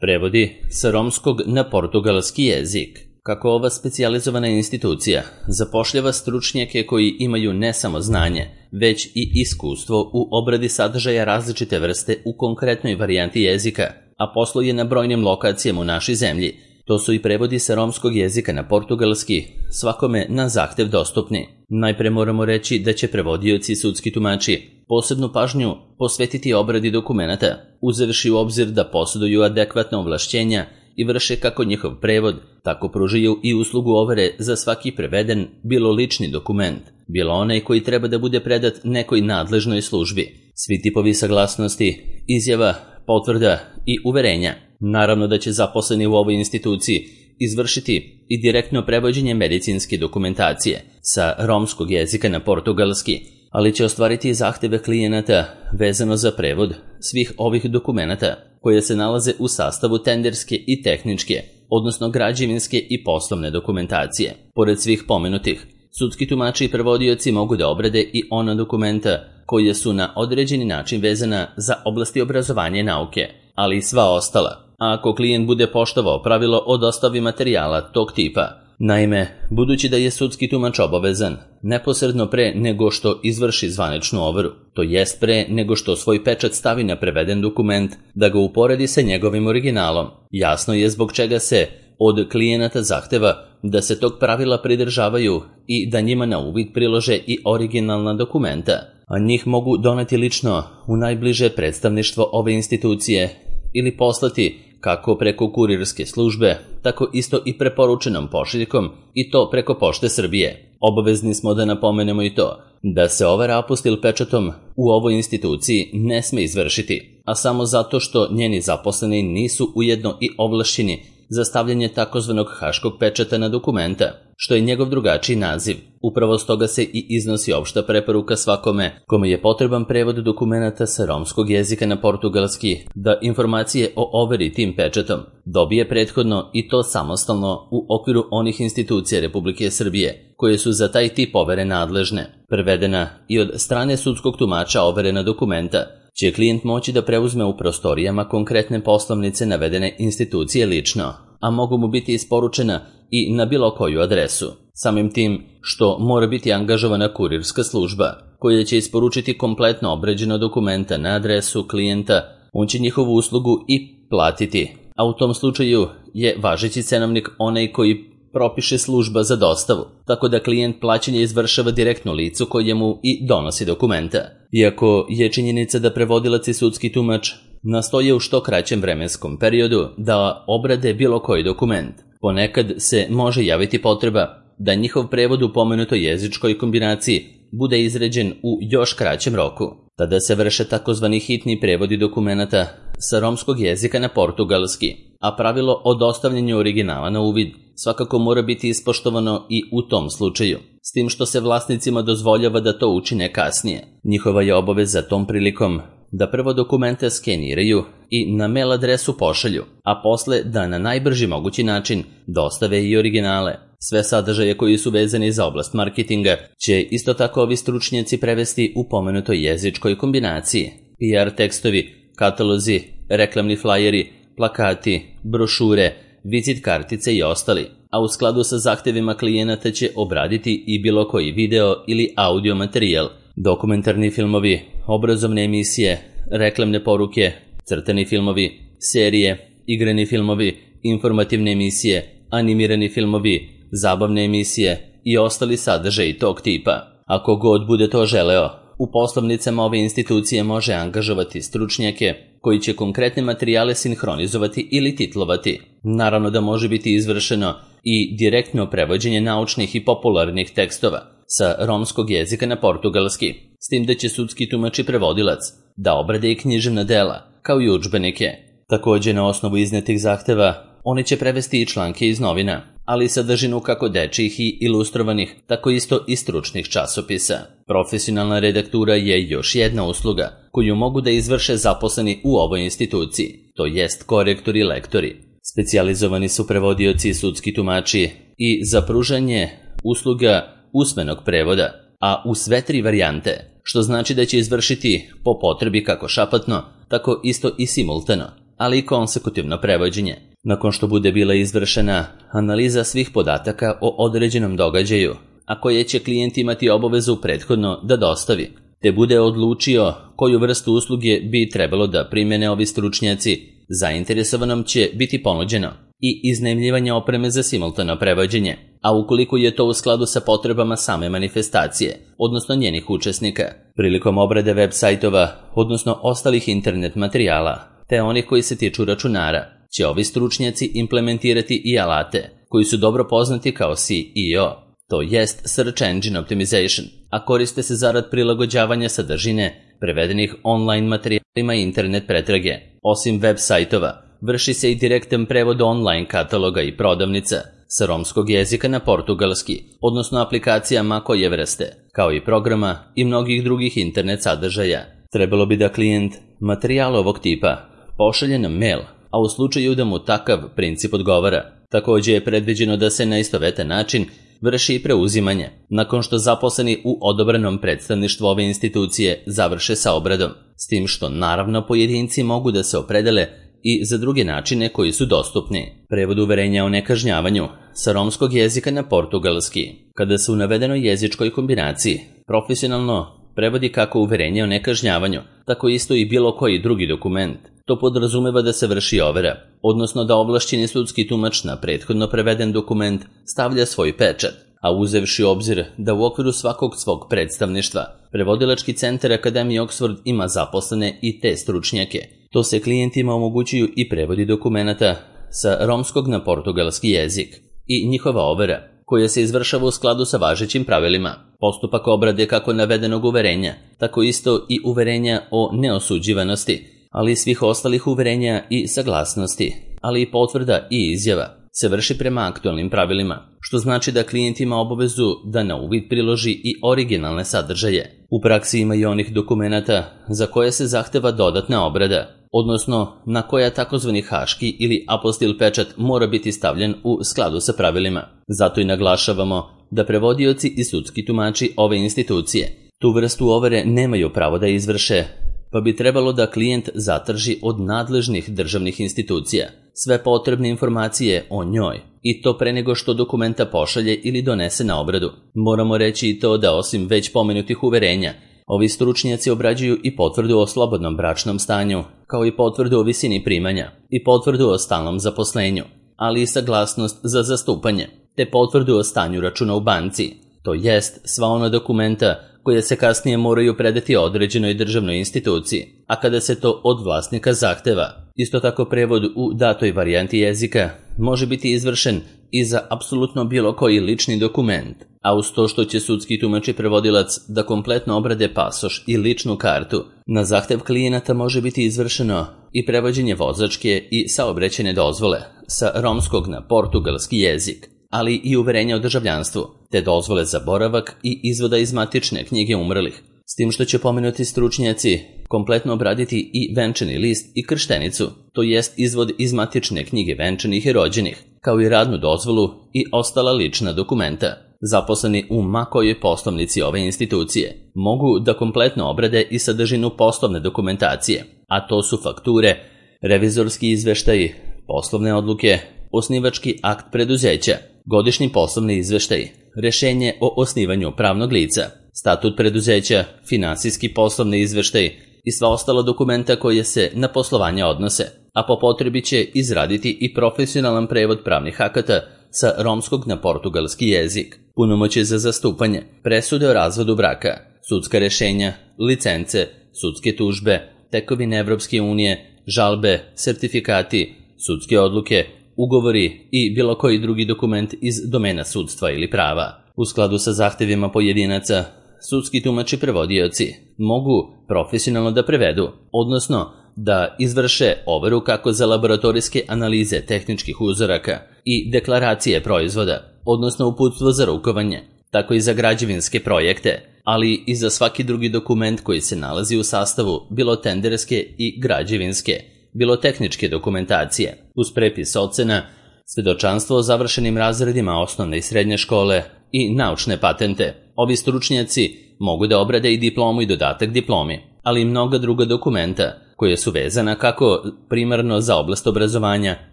Prevodi sa romskog na portugalski jezik. Kako ova specijalizovana institucija zapošljava stručnjake koji imaju ne samo znanje, već i iskustvo u obradi sadržaja različite vrste u konkretnoj varijanti jezika, a posluje na brojnim lokacijama u našoj zemlji. To su i prevodi sa romskog jezika na portugalski, svakome na zahtev dostupni. Najpre moramo reći da će prevodioci i sudski tumači posebnu pažnju posvetiti obradi dokumenata, uzevši u obzir da posjeduju adekvatna ovlašćenja i vrše kako njihov prevod, tako pružaju i uslugu overe za svaki preveden, bilo lični dokument, bilo onaj koji treba da bude predat nekoj nadležnoj službi. Svi tipovi saglasnosti, izjava, potvrda i uverenja. Naravno da će zaposleni u ovoj instituciji izvršiti i direktno prevođenje medicinske dokumentacije sa romskog jezika na portugalski, ali će ostvariti i zahteve klijenata vezano za prevod svih ovih dokumenata koje se nalaze u sastavu tenderske i tehničke, odnosno građevinske i poslovne dokumentacije. Pored svih pomenutih, sudski tumači i prevodioci mogu da obrade i ona dokumenta koje su na određeni način vezana za oblasti obrazovanja i nauke, ali i sva ostala, a ako klijent bude poštovao pravilo o dostavi materijala tog tipa. Naime, budući da je sudski tumač obavezan neposredno pre nego što izvrši zvaničnu overu, to jest pre nego što svoj pečat stavi na preveden dokument, da ga uporedi sa njegovim originalom, jasno je zbog čega se od klijenata zahteva da se tog pravila pridržavaju i da njima na uvid prilože i originalna dokumenta, a njih mogu doneti lično u najbliže predstavništvo ove institucije ili poslati kako preko kurirske službe, tako isto i preporučenom pošiljkom i to preko Pošte Srbije. Obavezni smo da napomenemo i to da se overa apostil pečatom u ovoj instituciji ne sme izvršiti, a samo zato što njeni zaposleni nisu ujedno i ovlašćeni za stavljanje takozvanog haškog pečata na dokumenta, što je njegov drugačiji naziv. Upravo stoga se i iznosi opšta preporuka svakome kome je potreban prevod dokumenata sa romskog jezika na portugalski da informacije o overi tim pečatom dobije prethodno i to samostalno u okviru onih institucija Republike Srbije koje su za taj tip overe nadležne. Prevedena i od strane sudskog tumača overena dokumenta će klijent moći da preuzme u prostorijama konkretne poslovnice navedene institucije lično, a mogu mu biti isporučena i na bilo koju adresu. Samim tim što mora biti angažovana kurirska služba koja će isporučiti kompletno obrađeno dokumenta na adresu klijenta, on će njihovu uslugu i platiti, a u tom slučaju je važeći cenovnik onaj koji propiše služba za dostavu, tako da klijent plaćanje izvršava direktno licu kojemu i donosi dokumenta. Iako je činjenica da prevodilac i sudski tumač nastoje u što kraćem vremenskom periodu da obrade bilo koji dokument, ponekad se može javiti potreba da njihov prevod u pomenutoj jezičkoj kombinaciji bude izrađen u još kraćem roku. Tada se vrše takozvani hitni prevodi dokumenata sa romskog jezika na portugalski, a pravilo o dostavljanju originala na uvid svakako mora biti ispoštovano i u tom slučaju, s tim što se vlasnicima dozvoljava da to učine kasnije. Njihova je obaveza tom prilikom da prvo dokumente skeniraju i na mail adresu pošalju, a posle da na najbrži mogući način dostave i originale. Sve sadržaje koji su vezani za oblast marketinga će isto tako ovi stručnjaci prevesti u pomenutoj jezičkoj kombinaciji. PR tekstovi, katalozi, reklamni flajeri, plakati, brošure, vizit kartice i ostali, a u skladu sa zahtevima klijenata će obraditi i bilo koji video ili audio materijal, dokumentarni filmovi, obrazovne emisije, reklamne poruke, crtani filmovi, serije, igrani filmovi, informativne emisije, animirani filmovi, zabavne emisije i ostali sadržaji tog tipa. Ako god bude to želeo, u poslovnicama ove institucije može angažovati stručnjake koji će konkretne materijale sinhronizovati ili titlovati. Naravno da može biti izvršeno i direktno prevođenje naučnih i popularnih tekstova sa romskog jezika na portugalski, s tim da će sudski tumač i prevodilac da obrade i književna dela, kao i udžbenike. Također na osnovu iznetih zahteva oni će prevesti i članke iz novina, ali i sadržinu kako dečijih i ilustrovanih, tako isto i stručnih časopisa. Profesionalna redaktura je još jedna usluga koju mogu da izvrše zaposleni u ovoj instituciji, to jest korektori i lektori. Specijalizovani su prevodioci i sudski tumači i za pružanje usluga usmenog prevoda, a u sve tri varijante, što znači da će izvršiti po potrebi kako šapatno, tako isto i simultano, ali i konsekutivno prevođenje. Nakon što bude bila izvršena analiza svih podataka o određenom događaju, a koje će klijent imati obavezu prethodno da dostavi, te bude odlučio koju vrstu usluge bi trebalo da primene ovi stručnjaci, zainteresovanom će biti ponuđeno i iznajmljivanje opreme za simultano prevođenje, a ukoliko je to u skladu sa potrebama same manifestacije, odnosno njenih učesnika, prilikom obrade web sajtova, odnosno ostalih internet materijala, te onih koji se tiču računara, će ovi stručnjaci implementirati i alate koji su dobro poznati kao SEO, to jest Search Engine Optimization, a koriste se zarad prilagođavanja sadržine prevedenih online materijalima i internet pretrage. Osim web sajtova, vrši se i direktan prevod online kataloga i prodavnica sa romskog jezika na portugalski, odnosno aplikacijama koje vrste, kao i programa i mnogih drugih internet sadržaja. Trebalo bi da klijent materijal ovog tipa pošalje na mail, a u slučaju da mu takav princip odgovara, također je predviđeno da se na istovetan način vrši i preuzimanje, nakon što zaposleni u odobrenom predstavništvu ove institucije završe sa obradom, s tim što naravno pojedinci mogu da se opredele i za druge načine koji su dostupni. Prevod uverenja o nekažnjavanju sa romskog jezika na portugalski, kada se u navedenoj jezičkoj kombinaciji profesionalno prevodi kako uverenje o nekažnjavanju, tako isto i bilo koji drugi dokument. To podrazumeva da se vrši overa, odnosno da ovlašćeni sudski tumač na prethodno preveden dokument stavlja svoj pečat, a uzevši u obzir da u okviru svakog svog predstavništva prevodilački centar Akademije Oxford ima zaposlene i te stručnjake, to se klijentima omogućuju i prevodi dokumenata sa romskog na portugalski jezik i njihova overa, koja se izvršava u skladu sa važećim pravilima. Postupak obrade kako navedenog uverenja, tako isto i uverenja o neosuđivanosti, ali i svih ostalih uverenja i saglasnosti, ali i potvrda i izjava, se vrši prema aktualnim pravilima, što znači da klijent ima obavezu da na uvid priloži i originalne sadržaje. U praksi ima i onih dokumenata za koje se zahteva dodatna obrada, odnosno na koja takozvani haški ili apostil pečat mora biti stavljen u skladu sa pravilima. Zato i naglašavamo da prevodioci i sudski tumači ove institucije tu vrstu overe nemaju pravo da izvrše, pa bi trebalo da klijent zatraži od nadležnih državnih institucija sve potrebne informacije o njoj, i to pre nego što dokumenta pošalje ili donese na obradu. Moramo reći i to da osim već pomenutih uverenja, ovi stručnjaci obrađuju i potvrdu o slobodnom bračnom stanju, kao i potvrdu o visini primanja i potvrdu o stalnom zaposlenju, ali i saglasnost za zastupanje, te potvrdu o stanju računa u banci, to jest sva ona dokumenta koje se kasnije moraju predati određenoj državnoj instituciji, a kada se to od vlasnika zahteva. Isto tako prevod u datoj varijanti jezika može biti izvršen i za apsolutno bilo koji lični dokument, a uz to što će sudski tumač i prevodilac da kompletno obrade pasoš i ličnu kartu, na zahtev klijenata može biti izvršeno i prevođenje vozačke i saobraćajne dozvole sa romskog na portugalski jezik, ali i uverenja o državljanstvu, te dozvole za boravak i izvoda iz matične knjige umrlih, s tim što će pomenuti stručnjaci kompletno obraditi i venčani list i krštenicu, to jest izvod iz matične knjige venčanih i rođenih, kao i radnu dozvolu i ostala lična dokumenta. Zaposleni u makojoj poslovnici ove institucije mogu da kompletno obrade i sadržinu poslovne dokumentacije, a to su fakture, revizorski izveštaji, poslovne odluke, osnivački akt preduzeća, godišnji poslovni izveštaj, rešenje o osnivanju pravnog lica, statut preduzeća, finansijski poslovni izveštaj i sva ostala dokumenta koje se na poslovanje odnose, a po potrebi će izraditi i profesionalan prevod pravnih akata sa romskog na portugalski jezik, punomoćje za zastupanje, presude o razvodu braka, sudska rešenja, licence, sudske tužbe, tekovine Evropske unije, žalbe, sertifikati, sudske odluke, ugovori i bilo koji drugi dokument iz domena sudstva ili prava. U skladu sa zahtevima pojedinaca, sudski tumači prevodioci mogu profesionalno da prevedu, odnosno da izvrše overu kako za laboratorijske analize tehničkih uzoraka i deklaracije proizvoda, odnosno uputstvo za rukovanje, tako i za građevinske projekte, ali i za svaki drugi dokument koji se nalazi u sastavu bilo tenderske i građevinske, bilo tehničke dokumentacije, uz prepis ocena, svedočanstvo o završenim razredima osnovne i srednje škole i naučne patente. Ovi stručnjaci mogu da obrade i diplomu i dodatak diplomi, ali i mnoga druga dokumenta koje su vezana kako primarno za oblast obrazovanja,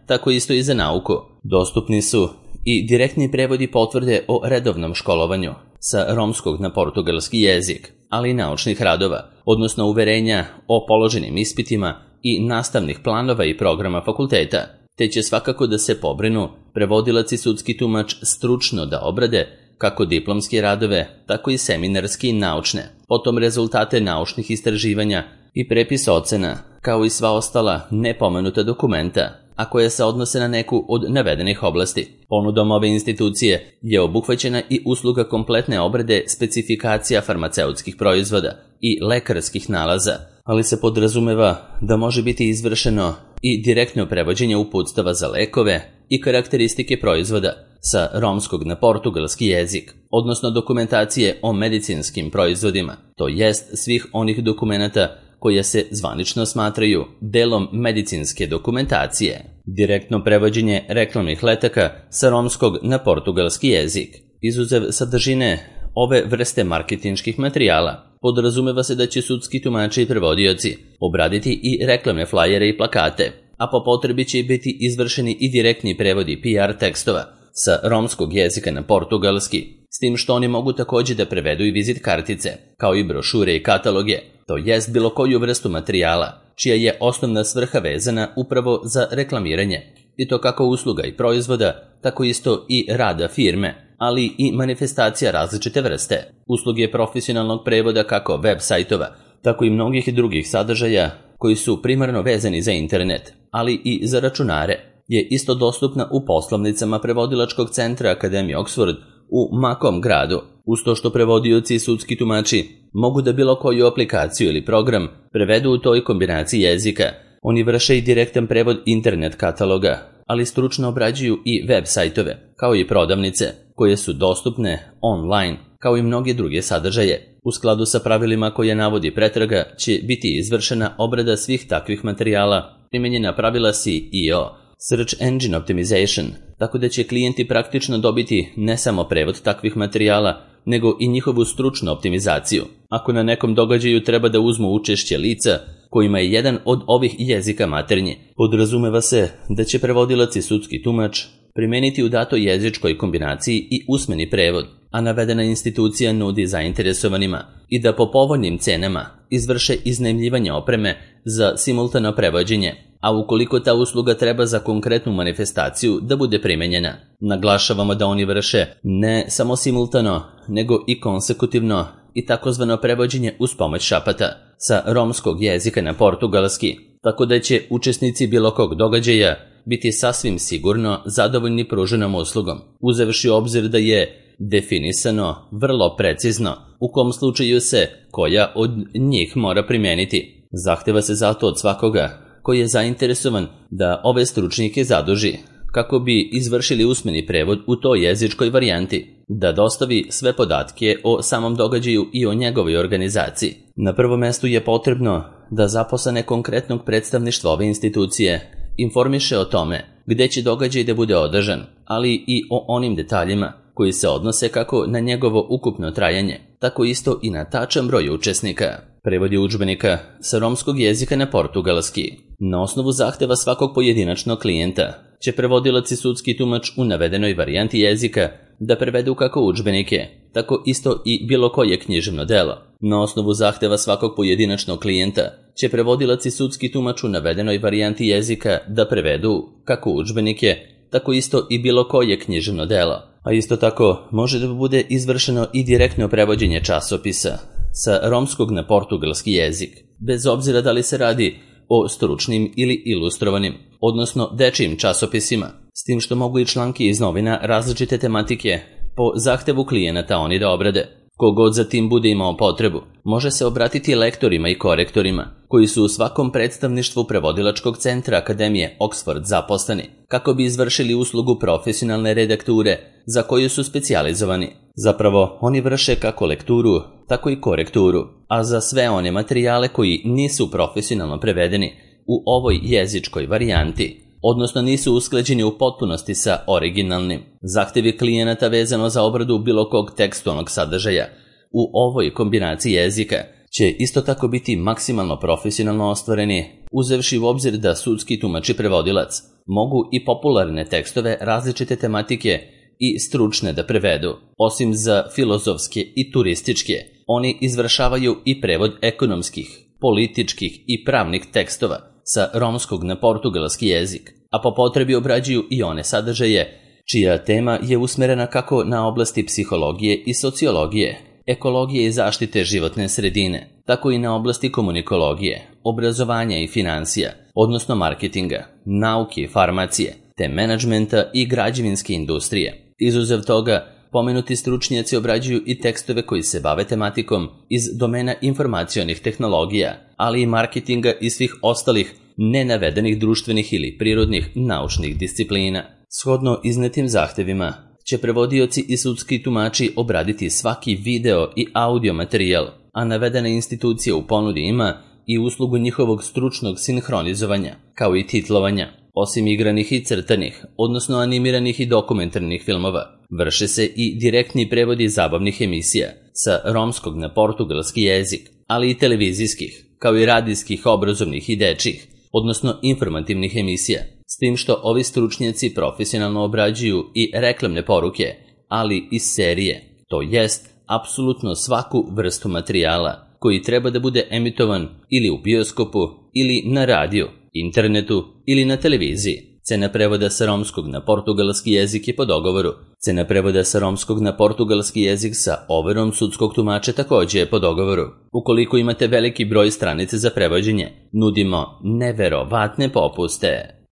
tako isto i za nauku. Dostupni su i direktni prevodi potvrde o redovnom školovanju sa romskog na portugalski jezik, ali i naučnih radova, odnosno uverenja o položenim ispitima i nastavnih planova i programa fakulteta, te će svakako da se pobrinu prevodilac i sudski tumač stručno da obrade kako diplomske radove, tako i seminarski i naučne, potom rezultate naučnih istraživanja i prepis ocena, kao i sva ostala nepomenuta dokumenta, a koje se odnose na neku od navedenih oblasti. Ponudom ove institucije je obuhvaćena i usluga kompletne obrade specifikacija farmaceutskih proizvoda i lekarskih nalaza, ali se podrazumeva da može biti izvršeno i direktno prevođenje uputstava za lekove i karakteristike proizvoda sa romskog na portugalski jezik, odnosno dokumentacije o medicinskim proizvodima, to jest svih onih dokumenata koje se zvanično smatraju delom medicinske dokumentacije. Direktno prevođenje reklamnih letaka sa romskog na portugalski jezik. Izuzev sadržine ove vrste marketinških materijala, podrazumeva se da će sudski tumači i prevodioci obraditi i reklamne flajere i plakate, a po potrebi će biti izvršeni i direktni prevodi PR tekstova sa romskog jezika na portugalski, s tim što oni mogu također da prevedu i vizit kartice, kao i brošure i kataloge, to jest bilo koju vrstu materijala, čija je osnovna svrha vezana upravo za reklamiranje, i to kako usluga i proizvoda, tako isto i rada firme, ali i manifestacija različite vrste, usluge profesionalnog prevoda kako web sajtova, tako i mnogih drugih sadržaja koji su primarno vezani za internet, ali i za računare, je isto dostupna u poslovnicama prevodilačkog centra Akademije Oxford u Makom gradu, uz to što prevodioci i sudski tumači mogu da bilo koju aplikaciju ili program prevedu u toj kombinaciji jezika. Oni vrše i direktan prevod internet kataloga, ali stručno obrađuju i web sajtove, kao i prodavnice, koje su dostupne online, kao i mnoge druge sadržaje. U skladu sa pravilima koje navodi pretraga će biti izvršena obrada svih takvih materijala, primenjena pravila SEO, Search Engine Optimization, tako da će klijenti praktično dobiti ne samo prevod takvih materijala, nego i njihovu stručnu optimizaciju. Ako na nekom događaju treba da uzmu učešće lica kojima je jedan od ovih jezika maternji, podrazumeva se da će prevodilac i sudski tumač primeniti u datoj jezičkoj kombinaciji i usmeni prevod, a navedena institucija nudi zainteresovanima i da po povoljnim cenama izvrše iznajmljivanje opreme za simultano prevođenje, a ukoliko ta usluga treba za konkretnu manifestaciju da bude primenjena. Naglašavamo da oni vrše ne samo simultano, nego i konsekutivno i takozvano prevođenje uz pomoć šapata sa romskog jezika na portugalski, tako da će učesnici bilo kog događaja biti sasvim sigurno zadovoljni pruženom uslugom, uzevši u obzir da je definisano vrlo precizno u kom slučaju se koja od njih mora primeniti. Zahteva se zato od svakoga koji je zainteresovan da ove stručnjake zaduži kako bi izvršili usmeni prevod u toj jezičkoj varijanti, da dostavi sve podatke o samom događaju i o njegovoj organizaciji. Na prvom mestu je potrebno da zaposlene konkretnog predstavništva ove institucije informiše o tome gde će događaj da bude održan, ali i o onim detaljima koji se odnose kako na njegovo ukupno trajanje, tako isto i na tačan broj učesnika. Prevodi udžbenika sa romskog jezika na portugalski. Na osnovu zahteva svakog pojedinačnog klijenta će prevodilac i sudski tumač u navedenoj varijanti jezika da prevedu kako udžbenike, tako isto i bilo koje književno delo. Na osnovu zahteva svakog pojedinačnog klijenta će prevodilac i sudski tumač u navedenoj varijanti jezika da prevedu kako udžbenike, tako isto i bilo koje književno delo. A isto tako može da bude izvršeno i direktno prevođenje časopisa sa romskog na portugalski jezik, bez obzira da li se radi o stručnim ili ilustrovanim, odnosno dečijim časopisima, s tim što mogu i članki iz novina različite tematike po zahtevu klijenata oni da obrade. Kogod za tim bude imao potrebu, može se obratiti lektorima i korektorima, koji su u svakom predstavništvu prevodilačkog centra Akademije Oxford zaposleni, kako bi izvršili uslugu profesionalne redakture za koju su specijalizovani. Zapravo, oni vrše kako lekturu, tako i korekturu, a za sve one materijale koji nisu profesionalno prevedeni u ovoj jezičkoj varijanti, odnosno nisu usklađeni u potpunosti sa originalnim. Zahtevi klijenata vezano za obradu bilo kog tekstualnog sadržaja u ovoj kombinaciji jezika će isto tako biti maksimalno profesionalno ostvareni, uzevši u obzir da sudski tumač i prevodilac mogu i popularne tekstove različite tematike i stručne da prevedu. Osim za filozofske i turističke, oni izvršavaju i prevod ekonomskih, političkih i pravnih tekstova sa romskog na portugalski jezik, a po potrebi obrađuju i one sadržaje čija tema je usmerena kako na oblasti psihologije i sociologije, ekologije i zaštite životne sredine, tako i na oblasti komunikologije, obrazovanja i financija, odnosno marketinga, nauke i farmacije, te menadžmenta i građevinske industrije. Izuzev toga, pomenuti stručnjaci obrađuju i tekstove koji se bave tematikom iz domena informacionih tehnologija, ali i marketinga i svih ostalih nenavedenih društvenih ili prirodnih naučnih disciplina. Shodno iznetim zahtevima će prevodioci i sudski tumači obraditi svaki video i audio materijal, a navedena institucija u ponudi ima i uslugu njihovog stručnog sinhronizovanja, kao i titlovanja. Osim igranih i crtanih, odnosno animiranih i dokumentarnih filmova, vrše se i direktni prevodi zabavnih emisija sa romskog na portugalski jezik, ali i televizijskih, kao i radijskih, obrazovnih i dečjih, odnosno informativnih emisija, s tim što ovi stručnjaci profesionalno obrađuju i reklamne poruke, ali i serije, to jest apsolutno svaku vrstu materijala koji treba da bude emitovan ili u bioskopu, ili na radiju, internetu ili na televiziji. Cena prevoda sa romskog na portugalski jezik je po dogovoru. Cena prevoda sa romskog na portugalski jezik sa overom sudskog tumača takođe je po dogovoru. Ukoliko imate veliki broj stranica za prevođenje, nudimo neverovatne popuste.